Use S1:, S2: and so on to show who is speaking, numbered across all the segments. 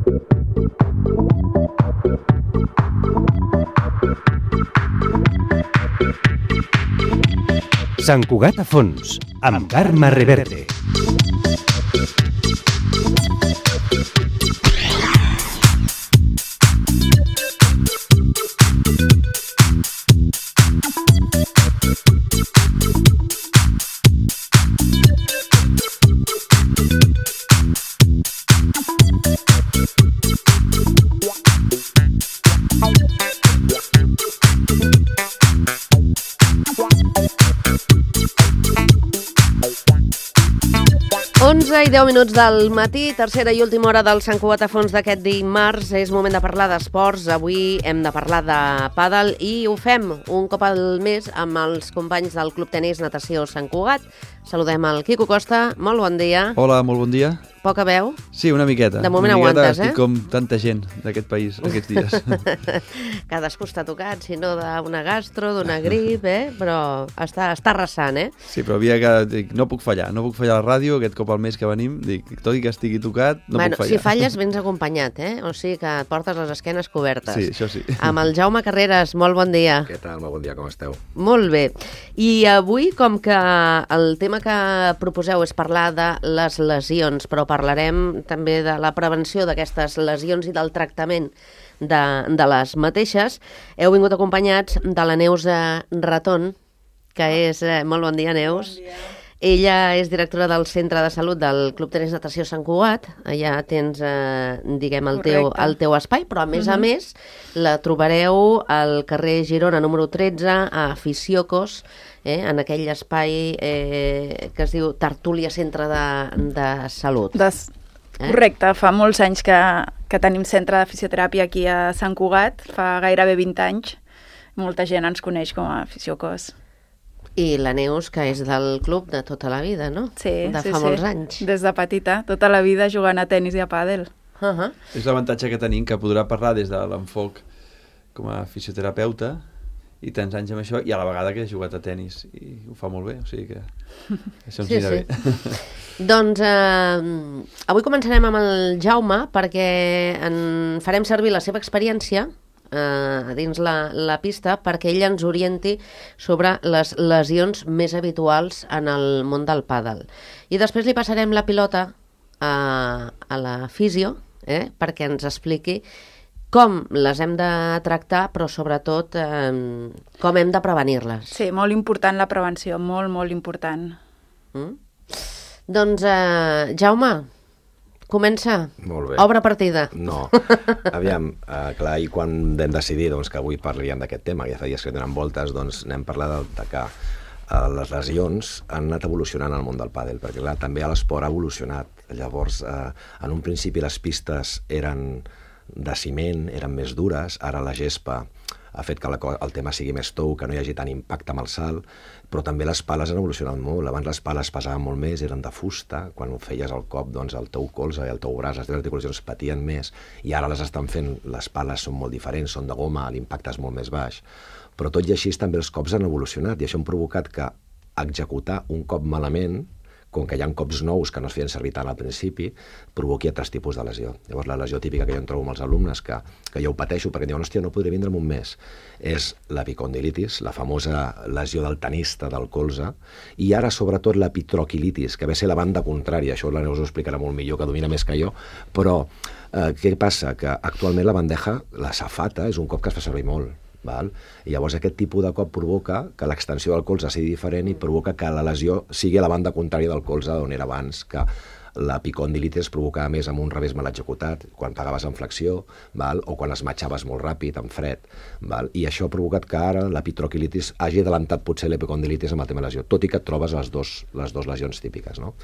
S1: Sant Cugat a fons, amb Carme Reverte.
S2: I 10 minuts del matí, tercera i última hora del Sant Cugat a fons d'aquest dimarts. És moment de parlar d'esports. Avui hem de parlar de pàdel i ho fem un cop al mes amb els companys del Club Tenis Natació Sant Cugat. Saludem el Quico Costa. Molt bon dia.
S3: Hola, molt bon dia.
S2: Poca veu?
S3: Sí, una miqueta.
S2: De moment aguantes,
S3: estic com tanta gent d'aquest país aquests dies.
S2: Cadascú està tocat, si no d'una gastro, d'una grip, però està arrasant,
S3: Sí, però havia que... Dic, no puc fallar a la ràdio, aquest cop al mes que venim, dic, tot i que estigui tocat, no puc fallar.
S2: Si falles, vens acompanyat, O sigui que portes les esquenes cobertes.
S3: Sí, això sí.
S2: Amb el Jaume Carreras, molt bon dia.
S4: Què tal? Molt bon dia, com esteu?
S2: Molt bé. I avui, com que el tema que proposeu és parlar de les lesions, però parlarem també de la prevenció d'aquestes lesions i del tractament de les mateixes, heu vingut acompanyats de la Neus Raton, que és... Molt bon dia, Neus.
S5: Bon dia.
S2: Ella és directora del Centre de Salut del Club Tenis Natació Sant Cugat. Allà tens, diguem, el teu espai, però a més la trobareu al carrer Girona número 13, a Fisiocos, en aquell espai que es diu Tertúlia Centre de Salut.
S5: Correcte, fa molts anys que tenim centre de fisioteràpia aquí a Sant Cugat, fa gairebé 20 anys. Molta gent ens coneix com a Fisiocos.
S2: I la Neus, que és del club de tota la vida, no?
S5: Sí,
S2: de fa molts anys.
S5: Des de petita, tota la vida jugant a tenis i a pàdel.
S3: És l'avantatge que tenim, que podrà parlar des de l'enfoc com a fisioterapeuta i tants anys amb això, i a la vegada que he jugat a tenis i ho fa molt bé, o sigui que això ens anirà bé.
S2: Doncs avui començarem amb el Jaume perquè farem servir la seva experiència dins la pista perquè ell ens orienti sobre les lesions més habituals en el món del pàdel. I després li passarem la pilota a la fisio perquè ens expliqui com les hem de tractar, però sobretot com hem de prevenir-les.
S5: Sí, molt important la prevenció, molt, molt important.
S2: Doncs, Jaume, comença.
S4: Molt bé.
S2: Obre partida.
S4: No. Aviam, clar, i quan vam decidir que avui parlaríem d'aquest tema, que ja fa dies que donen voltes, doncs anem a parlar de que les lesions han anat evolucionant al món del pàdel, perquè clar, també l'esport ha evolucionat. Llavors, en un principi les pistes eren de ciment, eren més dures, ara la gespa ha fet que el tema sigui més tou, que no hi hagi tant impacte amb el salt, però també les pales han evolucionat molt. Abans les pales pesaven molt més, eren de fusta, quan feies el cop, doncs el teu colze i el teu braç, les teves articulacions patien més, i ara les estan fent, les pales són molt diferents, són de goma, l'impacte és molt més baix. Però tot i així també els cops han evolucionat, i això ha provocat que executar un cop malament, com que hi ha cops nous que no es feien servir tant al principi, provoqui altres tipus de lesió. Llavors, la lesió típica que jo em trobo amb els alumnes, que jo ho pateixo perquè em diuen, hòstia, no podré vindre en un mes, és l'epicondilitis, la famosa lesió del tenista del colze, i ara, sobretot, l'epitroquilitis, que ve a ser la banda contrària. Això la Neus ho explicarà molt millor, que domina més que jo, però què passa? Que actualment la bandeja, la safata, és un cop que es fa servir molt. I llavors aquest tipus de cop provoca que l'extensió del colze sigui diferent i provoca que la lesió sigui a la banda contrària del colze d'on era abans, que l'epicondilitis es provocava més amb un revés mal executat, quan pegaves en flexió, o quan es matxaves molt ràpid, en fred, i això ha provocat que ara l'epitroquilitis hagi adelantat potser l'epicondilitis amb el tema lesió, tot i que et trobes les dos lesions típiques, no?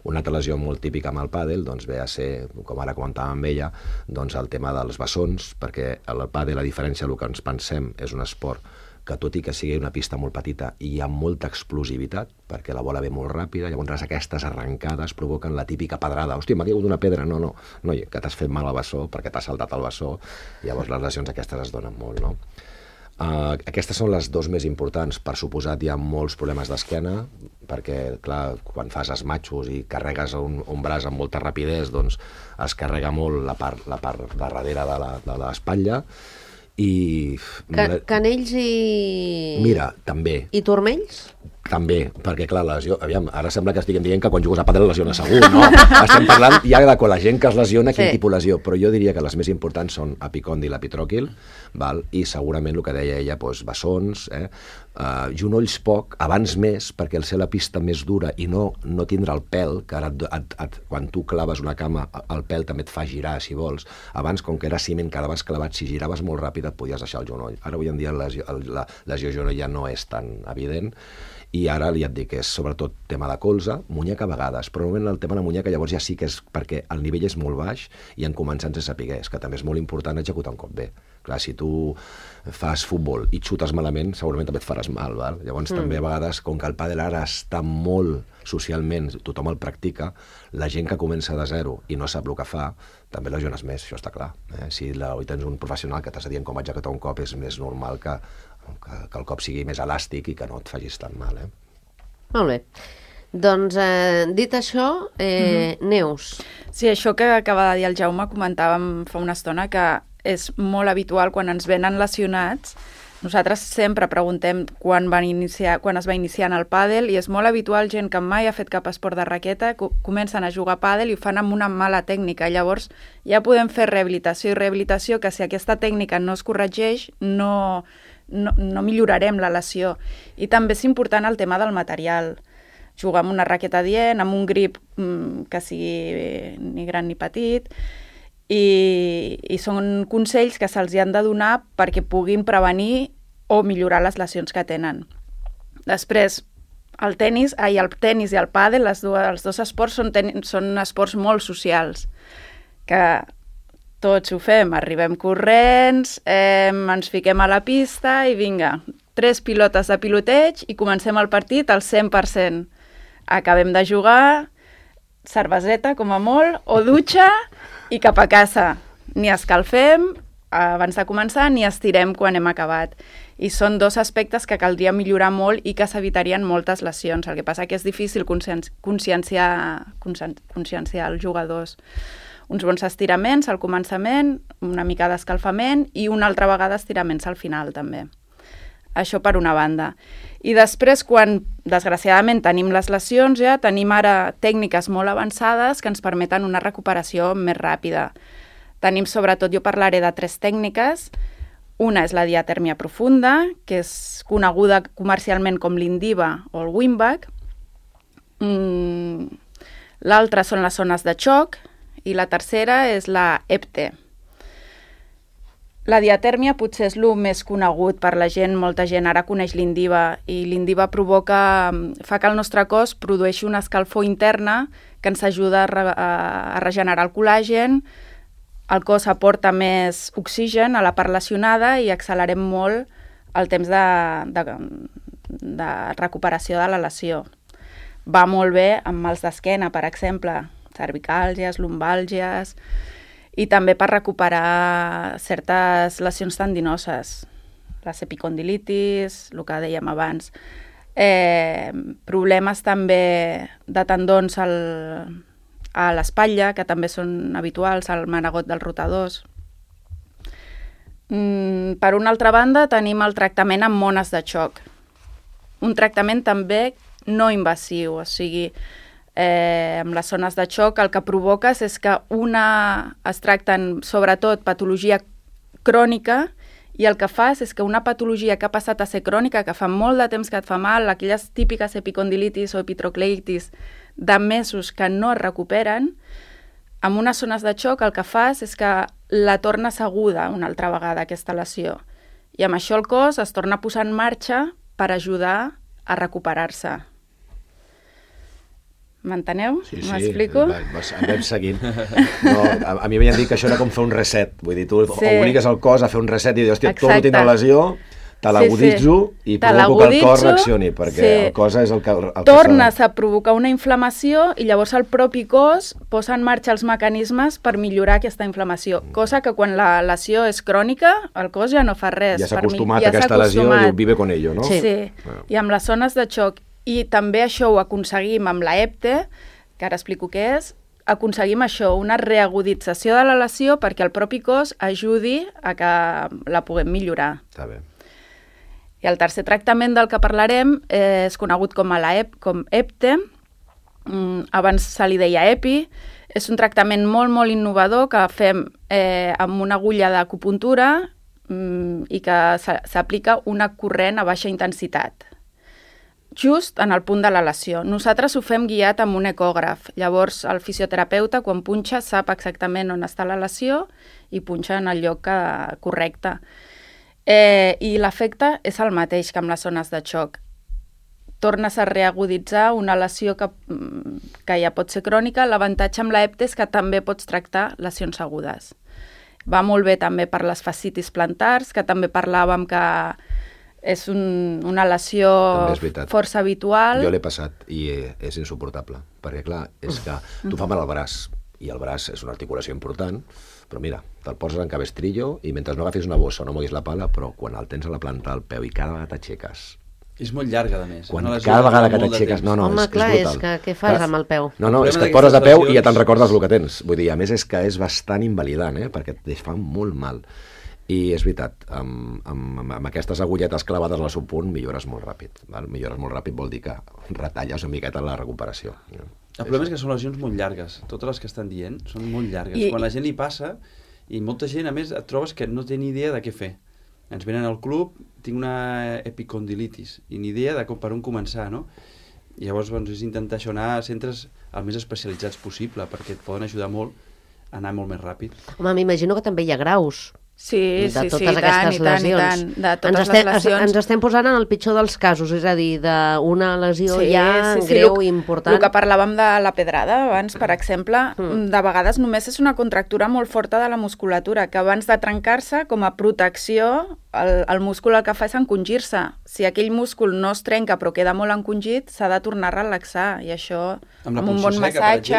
S4: Una altra lesió molt típica amb el pàdel ve a ser, com ara comentàvem amb ella, el tema dels bessons, perquè el pàdel, a diferència del que ens pensem, és un esport que tot i que sigui una pista molt petita hi ha molta explosivitat, perquè la bola ve molt ràpida, llavors aquestes arrencades provoquen la típica pedrada. Hòstia, m'ha caigut una pedra. No, que t'has fet mal al bessó perquè t'has saltat el bessó, llavors les lesions aquestes es donen molt, no? Aquestes són les dues més importants. Per suposat, hi ha molts problemes d'esquena, perquè, clar, quan fas esmatxos i carregues un braç amb molta rapidesa, doncs es carrega molt la part de darrere de l'espatlla. I...
S2: Canells i...
S4: Mira, també.
S2: I turmells?
S4: També, perquè clar, lesió... Aviam, ara sembla que estiguem dient que quan jugues a pàdel lesiona segur, no? Estem parlant ja de quan la gent que es lesiona, quin tipus de lesió, però jo diria que les més importants són epicòndil, epitròquil, val? I segurament el que deia ella, doncs, bessons, genolls poc, abans més, perquè al ser la pista més dura i no tindre el pèl, que ara quan tu claves una cama, el pèl també et fa girar, si vols. Abans, com que era ciment, quedaves clavat, si giraves molt ràpid et podies deixar el genoll. Ara, avui en dia, la lesió genoll ja no és tan evident, i ara ja et dic, és sobretot tema de colze, muñeca a vegades, però normalment el tema de la muñeca llavors ja sí que és perquè el nivell és molt baix i en començant se sapigués, que també és molt important executar un cop bé. Clar, si tu fas futbol i xutes malament, segurament també et faràs mal, val? Llavors també a vegades, com que el pàdel ara està molt socialment, tothom el practica, la gent que comença de zero i no sap el que fa, també lesiones més, això està clar. Si tens un professional que t'està dient com executar un cop, és més normal que el cop sigui més elàstic i que no et facis tan mal.
S2: Molt bé. Doncs, dit això, Neus.
S5: Sí, això que acaba de dir el Jaume, comentàvem fa una estona que és molt habitual quan ens venen lesionats. Nosaltres sempre preguntem quan es va iniciar en el pàdel i és molt habitual gent que mai ha fet cap esport de raqueta, comencen a jugar a pàdel i ho fan amb una mala tècnica. Llavors ja podem fer rehabilitació i rehabilitació, que si aquesta tècnica no es corregeix, no millorarem la lesió. I també és important el tema del material. Jugar amb una raqueta adient, amb un grip que sigui ni gran ni petit, i són consells que se'ls han de donar perquè puguin prevenir o millorar les lesions que tenen. Després, el tenis i el pàdel, els dos esports són esports molt socials, que tots ho fem, arribem corrents, ens fiquem a la pista i vinga, 3 pilotes de piloteig i comencem el partit al 100%. Acabem de jugar, cerveseta com a molt, o dutxa i cap a casa. Ni escalfem abans de començar ni estirem quan hem acabat. I són dos aspectes que caldria millorar molt i que s'evitarien moltes lesions. El que passa que és difícil conscienciar els jugadors. Uns bons estiraments al començament, una mica d'escalfament i una altra vegada estiraments al final també. Això per una banda. I després, quan desgraciadament tenim les lesions, ja tenim ara tècniques molt avançades que ens permeten una recuperació més ràpida. Tenim sobretot, jo parlaré de 3 tècniques. Una és la diatèrmia profunda, que és coneguda comercialment com l'Indiva o el Wim-Back. L'altra són les zones de xoc i la tercera és la EPT. La diatèrmia potser és el més conegut per la gent, molta gent ara coneix l'Indiva, i l'Indiva fa que el nostre cos produeixi una escalfor interna que ens ajuda a regenerar el col·làgen, el cos aporta més oxigen a la part lesionada i accelerem molt el temps de recuperació de la lesió. Va molt bé amb mals d'esquena, per exemple, cervicàlgies, lumbàlgies, i també per recuperar certes lesions tendinoses, les epicondilitis, el que dèiem abans. Problemes també de tendons a l'espatlla, que també són habituals, al manegot dels rotadors. Per una altra banda, tenim el tractament amb mones de xoc. Un tractament també no invasiu, o sigui, amb les zones de xoc el que provoques és que es tracten sobretot patologia crònica, i el que fas és que una patologia que ha passat a ser crònica, que fa molt de temps que et fa mal, aquelles típiques epicondilitis o epitrocleitis de mesos que no es recuperen, amb unes zones de xoc el que fas és que la tornes aguda una altra vegada, aquesta lesió. I amb això el cos es torna a posar en marxa per ajudar a recuperar-se. M'enteneu?
S4: Sí,
S5: m'explico?
S4: Anem seguint. No, a mi m'havien dit que això era com fer un reset. Vull dir, tu obligues el cos a fer un reset i dius, hòstia, torno a tindre lesió, te l'aguditzo i provoco que el cos reaccioni, perquè el cos és el que...
S5: Tornes a provocar una inflamació i llavors el propi cos posa en marxa els mecanismes per millorar aquesta inflamació, cosa que quan la lesió és crònica, el cos ja no fa res.
S4: Ja s'ha acostumat a aquesta lesió i vive con ello, no?
S5: Sí. I amb les zones de xoc. I també això ho aconseguim amb la EPTE, que ara explico què és, aconseguim això, una reagudització de la lesió perquè el propi cos ajudi a que la puguem millorar.
S4: Està bé.
S5: I el tercer tractament del que parlarem és conegut com EPTE, abans se li deia EPI, és un tractament molt, molt innovador que fem amb una agulla d'acupuntura i que s'aplica una corrent a baixa intensitat, just en el punt de la lesió. Nosaltres ho fem guiat amb un ecògraf, llavors el fisioterapeuta quan punxa sap exactament on està la lesió i punxa en el lloc correcte. I l'efecte és el mateix que amb les zones de xoc. Tornes a reaguditzar una lesió que ja pot ser crònica. L'avantatge amb l'EPTE és que també pots tractar lesions agudes. Va molt bé també per les fascitis plantars, que també parlàvem que és una lesió força habitual.
S4: Jo l'he passat i és insuportable, perquè clar, és que tu fa mal al braç, i el braç és una articulació important, però mira, te'l poses en cabestrillo i mentre no agafis una bossa o no moguis la pala, però quan el tens a la planta del peu i cada vegada t'aixeques...
S3: És molt llarga, a més.
S4: Cada vegada que t'aixeques...
S2: Home, clar, és que què fas amb el peu?
S4: No, és que et poses de peu i ja te'n recordes el que tens. Vull dir, a més és que és bastant invalidant, perquè et fa molt mal. I és veritat, amb aquestes agulletes clavades al seu punt millores molt ràpid. Millores molt ràpid vol dir que retalles una miqueta la recuperació.
S3: El problema és que són lesions molt llargues. Totes les que estan dient són molt llargues. Quan la gent li passa, i molta gent, a més, et trobes que no té ni idea de què fer. Ens venen al club, tinc una epicondilitis, i ni idea de per on començar, no? I llavors és intentar això, anar a centres el més especialitzats possible, perquè et poden ajudar molt a anar molt més ràpid.
S2: Home, m'imagino que també hi ha graus.
S5: Sí,
S2: de totes aquestes lesions.
S5: De totes les lesions.
S2: Ens estem posant en el pitjor dels casos, és a dir, d'una lesió greu i important.
S5: El que parlàvem de la pedrada abans, per exemple, de vegades només és una contractura molt forta de la musculatura, que abans de trencar-se, com a protecció, el múscul el que fa és encongir-se. Si aquell múscul no es trenca però queda molt encongit, s'ha de tornar a relaxar, i això amb un bon massatge,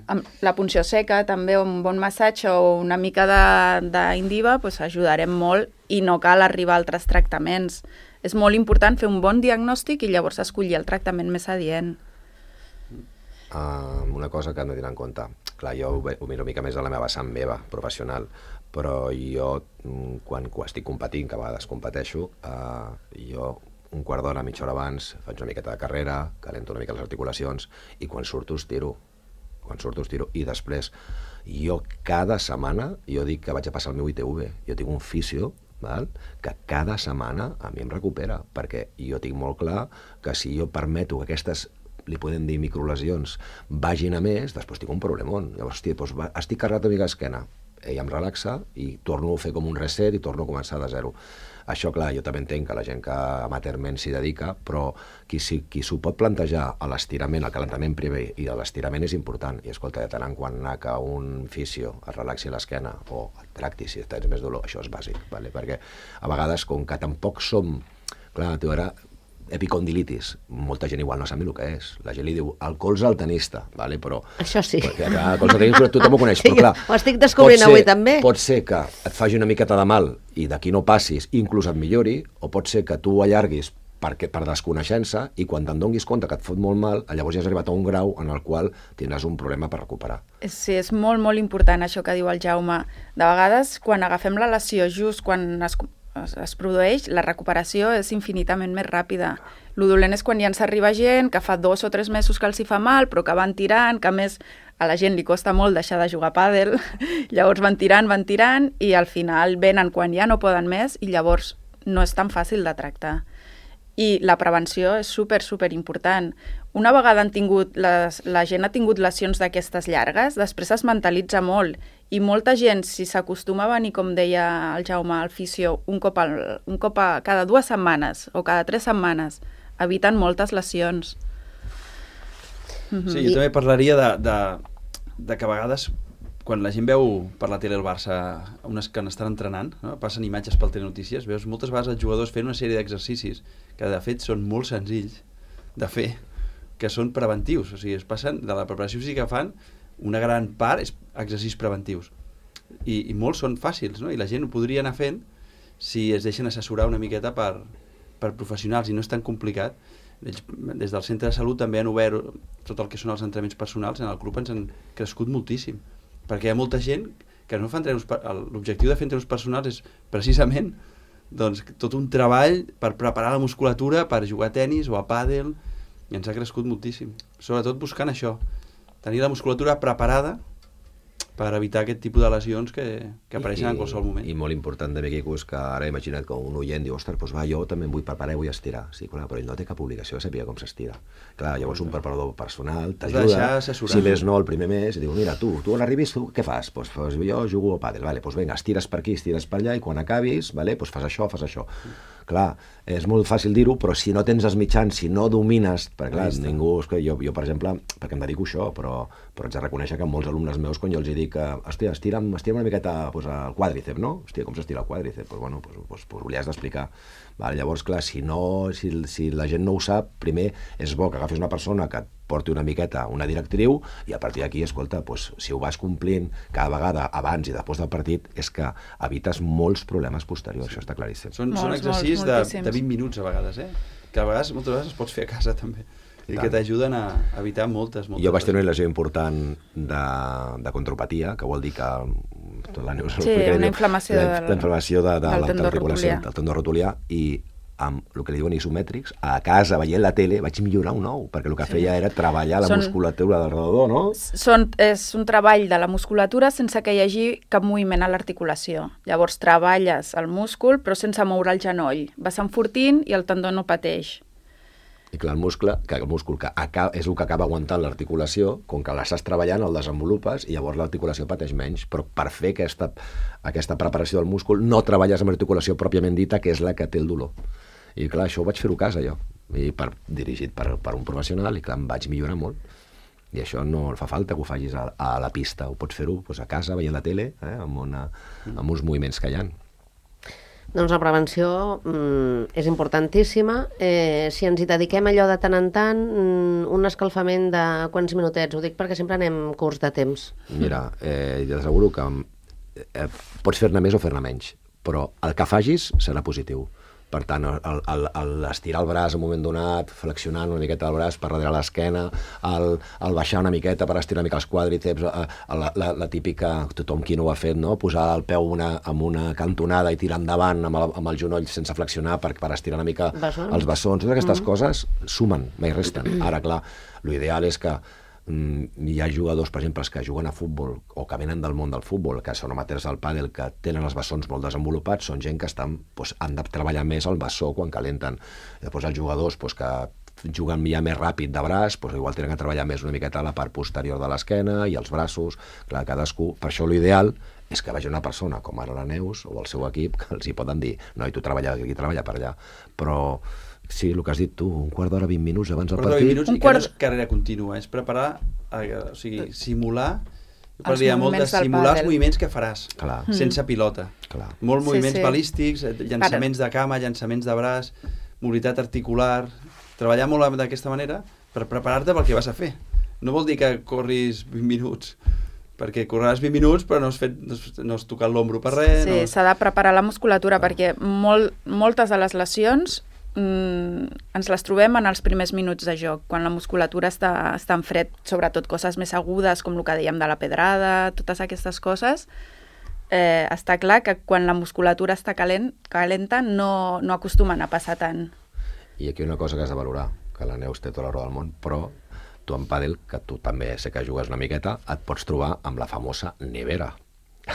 S5: amb la punció seca també, un bon massatge o una mica d'indiva, ajudarem molt i no cal arribar a altres tractaments. És molt important fer un bon diagnòstic i llavors escollir el tractament més adient.
S4: Una cosa que hem de tenir en compte. Clar, jo ho miro una mica més a la meva vessant meva, professional, però jo, quan estic competint, que a vegades competeixo, jo un quart d'hora, mitja hora abans, faig una miqueta de carrera, calento una mica les articulacions, i quan surto estiro. I després, jo cada setmana, jo dic que vaig a passar el meu ITV, jo tinc un fisio, que cada setmana a mi em recupera, perquè jo tinc molt clar que si jo permeto que aquestes, li podem dir microlesions, vagin a més, després tinc un problemón. Llavors, estic carregat una mica d'esquena, ella em relaxa i torno a fer com un reset i torno a començar de zero. Això, clar, jo també entenc que la gent que amateurment s'hi dedica, però qui s'ho pot plantejar a l'estirament, al calentament primer i a l'estirament és important. I escolta, de tant en quant anar que un fisio es relaxi l'esquena o et tracti si tens més dolor, això és bàsic, perquè a vegades, com que tampoc som... Clar, tu ara... epicondilitis, molta gent igual no sap ni el que és. La gent li diu el colze al tenista, però...
S2: Això sí.
S4: El colze al tenista tothom ho coneix, però clar...
S2: Ho estic descobrint avui també.
S4: Pot ser que et faci una miqueta de mal i d'aquí no passis, inclús et millori, o pot ser que tu ho allarguis per desconeixença i quan te'n donis compte que et fot molt mal, llavors ja has arribat a un grau en el qual tindràs un problema per recuperar.
S5: Sí, és molt, molt important això que diu el Jaume. De vegades, quan agafem la lesió just quan es produeix, la recuperació és infinitament més ràpida. Lo dolent és quan ja ens arriba gent que fa 2 o 3 mesos que els hi fa mal, però que van tirant, que a més a la gent li costa molt deixar de jugar a pàdel, llavors van tirant i al final venen quan ja no poden més i llavors no és tan fàcil de tractar. I la prevenció és super important. Una vegada la gent ha tingut lesions d'aquestes llargues, després es mentalitza molt i molta gent, si s'acostuma a venir, com deia el Jaume, al fisio, un cop cada 2 setmanes o cada 3 setmanes, eviten moltes lesions.
S3: Sí, jo també parlaria de que a vegades quan la gent veu per la tele el Barça, unes que estan entrenant, no? Passen imatges pel Telenotícies, veus moltes vegades els jugadors fent una sèrie d'exercicis que de fet són molt senzills de fer, que són preventius, o sigui, es passen de la preparació física que fan, una gran part és exercicis preventius i molts són fàcils, no? I la gent ho podria anar fent si es deixen assessorar una miqueta per professionals i no és tan complicat. Ells, des del centre de salut també han obert tot el que són els entrenaments personals, en el club ens han crescut moltíssim, perquè hi ha molta gent que no fa entrenos, l'objectiu de fer entrenos personals és precisament doncs, tot un treball per preparar la musculatura per jugar a tenis o a pàdel, i ens ha crescut moltíssim, sobretot buscant això, tenir la musculatura preparada per evitar aquest tipus de lesions que apareixen en qualsevol moment.
S4: I molt important també, Quico, és que ara imagina't que un oient diu, ostres, doncs va, jo també em vull preparar i vull estirar. Sí, clar, però ell no té cap obligació de saber com s'estira. Clar, llavors un preparador personal t'ajuda, si més no, el primer mes, i diu, mira, tu quan arribis, tu què fas? Doncs jo jugo a pàdel, vale, doncs vinga, estires per aquí, estires per allà, i quan acabis, vale, doncs fas això, fas això. Clar, és molt fàcil dir-ho, però si no tens els mitjans, si no domines, perquè clar, ningú, jo per exemple, perquè em dedico a això, però haig de reconèixer que molts alumnes meus, quan jo els dic, hòstia, estira'm una miqueta el quàdricep, no? Hòstia, com s'estira el quàdricep? Doncs bueno, li has d'explicar. Llavors, clar, si la gent no ho sap, primer és bo que agafis una persona que et porti una miqueta una directriu i a partir d'aquí, escolta, si ho vas complint cada vegada abans i després del partit, és que evites molts problemes posteriors, això està claríssim.
S3: Són exercicis de 20 minuts a vegades, que a vegades, moltes vegades, els pots fer a casa també, i que t'ajuden a evitar moltes.
S4: Jo vaig tenir una lesió important de contropatia, que vol dir que
S5: una inflamació
S4: de l'articulació, del tendó rotulià, i amb el que li diuen isomètrics, a casa, veient la tele, vaig millorar un ou, perquè el que feia era treballar la musculatura del redador, no?
S5: És un treball de la musculatura sense que hi hagi cap moviment a l'articulació. Llavors treballes el múscul, però sense moure el genoll. Vas enfortint i el tendó no pateix.
S4: I clar, el múscul que és el que acaba aguantant l'articulació, com que l'estàs treballant, el desenvolupes, i llavors l'articulació pateix menys. Però per fer aquesta preparació del múscul no treballes amb l'articulació pròpiament dita, que és la que té el dolor. I clar, això ho vaig fer a casa jo, dirigit per un professional, i clar, em vaig millorar molt. I això no fa falta que ho facis a la pista, ho pots fer-ho a casa, veient la tele, amb uns moviments que hi ha.
S2: Doncs la prevenció és importantíssima. Si ens hi dediquem allò de tant en tant, un escalfament de quants minutets? Ho dic perquè sempre anem curts de temps.
S4: Mira, t'asseguro que pots fer-ne més o fer-ne menys, però el que facis serà positiu. Per tant, estirar el braç en un moment donat, flexionant una miqueta el braç per darrere l'esquena, el baixar una miqueta per estirar una mica els quàdriceps, la típica, tothom qui no ho ha fet, no? Posar el peu amb una cantonada i tirar endavant amb el genoll sense flexionar per estirar una mica els bessons. Totes aquestes coses sumen, mai resten. Ara, clar, l'ideal és que hi ha jugadors, per exemple, els que juguen a futbol o que venen del món del futbol, que són amateurs del pàdel, que tenen els bessons molt desenvolupats, són gent que han de treballar més el bessó quan calenten. Després els jugadors que juguen ja més ràpid de braç, igual tenen que treballar més una miqueta la part posterior de l'esquena i els braços. Clar, cadascú. Per això l'ideal és que vagi una persona com ara la Neus o el seu equip, que els hi poden dir, no, i tu treballa aquí, treballa per allà. Però sí, el que has dit tu, un quart d'hora, 20 minuts abans del partit.
S3: 20 minuts, i que no és carrera contínua, és preparar, o sigui, simular els moviments que faràs, sense pilota. Molts moviments balístics, llançaments de cama, llançaments de braç, mobilitat articular, treballar molt d'aquesta manera per preparar-te pel que vas a fer. No vol dir que corris 20 minuts, perquè correràs 20 minuts però no has tocat l'ombro per res.
S5: Sí, s'ha de preparar la musculatura perquè moltes de les lesions ens les trobem en els primers minuts de joc, quan la musculatura està en fred, sobretot coses més agudes, com el que dèiem de la pedrada, totes aquestes coses. Està clar que quan la musculatura està calenta no acostumen a passar tant.
S4: I aquí una cosa que has de valorar, que la Neus té tota la raó del món, però tu en pàdel, que tu també sé que jugues una miqueta, et pots trobar amb la famosa nevera,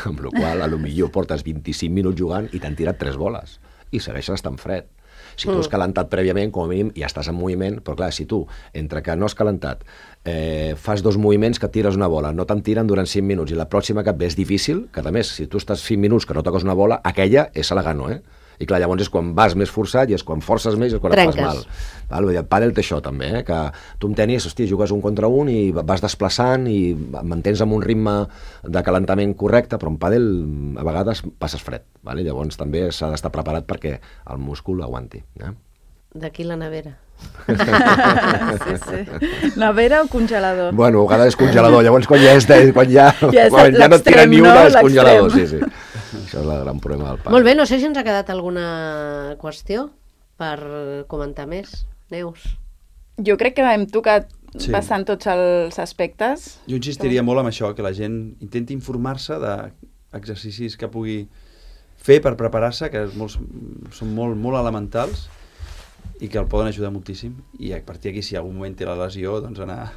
S4: amb la qual potser portes 25 minuts jugant i t'han tirat 3 boles i segueixes estant fred. Si tu has calentat prèviament, com a mínim, ja estàs en moviment, però clar, si tu, entre que no has calentat, fas 2 moviments que tires una bola, no te'n tiren durant 5 minuts, i la pròxima que et ve és difícil, que a més, si tu estàs 5 minuts que no toques una bola, aquella és a la gano, I clar, llavors és quan vas més forçat i és quan forces més i és quan et fas mal. Val? El pàdel té això també, que tu en tenis, hòstia, jugues un contra un i vas desplaçant i mantens amb un ritme de calentament correcte, però en pàdel a vegades passes fred. Val? Llavors també s'ha d'estar preparat perquè el múscul aguanti.
S2: D'aquí la nevera.
S5: Sí. Nevera o congelador?
S4: Bueno, a vegades és congelador, llavors quan ja no et tira ni una és congelador. Sí. Això és el gran problema del pàdel.
S2: Molt bé, no sé si ens ha quedat alguna qüestió per comentar més. Neus?
S5: Jo crec que hem tocat bastant tots els aspectes.
S3: Jo insistiria molt en això, que la gent intenti informar-se d'exercicis que pugui fer per preparar-se, que són molt elementals, i que el poden ajudar moltíssim, i a partir d'aquí, si en algun moment té la lesió, doncs anar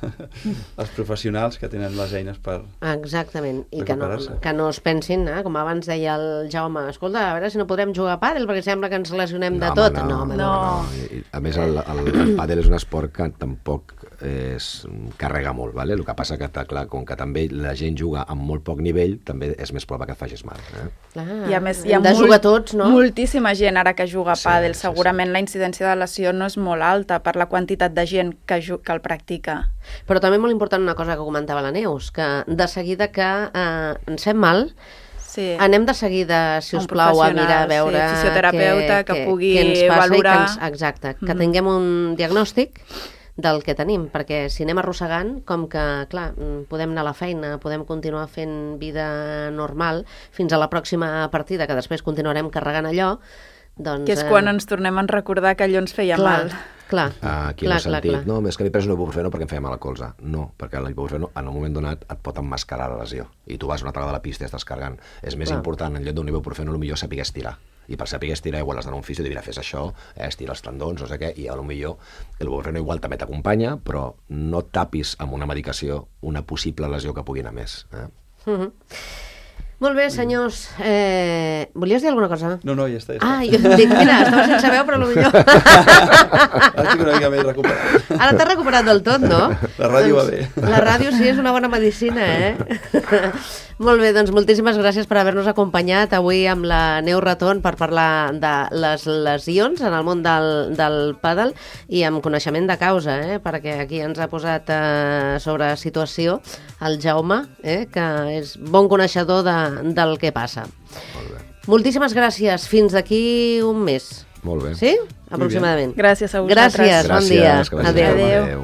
S3: als professionals que tenen les eines per
S2: Exactament, i
S3: preparar-se.
S2: que no es pensin, com abans deia el Jaume, escolta, a veure si no podrem jugar a pàdel perquè sembla que ens lesionem de tot. No.
S4: A més, el pàdel és un esport que tampoc carrega molt, ¿vale? El que passa que, clar, com que també la gent juga amb molt poc nivell, també és més probable que et facis mal.
S2: Clar,
S5: I a més, hi ha
S2: de jugar tots, no?
S5: moltíssima gent ara que juga a pàdel. Segurament la incidència de lesió no és molt alta per la quantitat de gent que el practica.
S2: Però també molt important una cosa que comentava la Neus, que de seguida que ens fem mal, anem de seguida, si us plau, a mirar, a veure...
S5: fisioterapeuta que pugui
S2: què ens passa
S5: valorar.
S2: Exacte, que tinguem un diagnòstic del que tenim, perquè si anem arrossegant, com que, clar, podem anar a la feina, podem continuar fent vida normal fins a la pròxima partida, que després continuarem carregant allò, doncs...
S5: Que és quan ens tornem a recordar que allò ens feia mal.
S2: Clar,
S4: aquí no he sentit, no, és que m'he pres un ibuprofeno perquè em feia mal al colze. No, perquè l'ibuprofeno en un moment donat et pot emmascarar la lesió. I tu vas una altra vegada a la pista i estàs carregant. És més important, en lloc d'un ibuprofeno, potser saber estirar. I per saber estirar igual has d'anar a un fisio i dir, mira, fes això, estira els tendons, no sé què, i potser el ibuprofeno igual també t'acompanya, però no tapis amb una medicació una possible lesió que pugui anar més.
S2: Molt bé, senyors. Volies dir alguna cosa?
S3: No, ja està.
S2: Jo dic, mira, estava sense veu, però potser...
S3: Ara estic una mica més recuperat.
S2: Ara t'has recuperat del tot, no?
S3: La ràdio va bé.
S2: La ràdio sí és una bona medicina, Molt bé, doncs moltíssimes gràcies per haver-nos acompanyat avui amb la Neus Raton per parlar de les lesions en el món del pàdel i amb coneixement de causa, perquè aquí ens ha posat sobre situació el Jaume, que és bon coneixedor del que passa.
S4: Molt bé.
S2: Moltíssimes gràcies. Fins d'aquí un mes.
S4: Molt bé.
S2: Sí? Aproximadament.
S5: Gràcies a vosaltres.
S2: Gràcies, bon dia.
S4: Adéu.
S5: Adéu.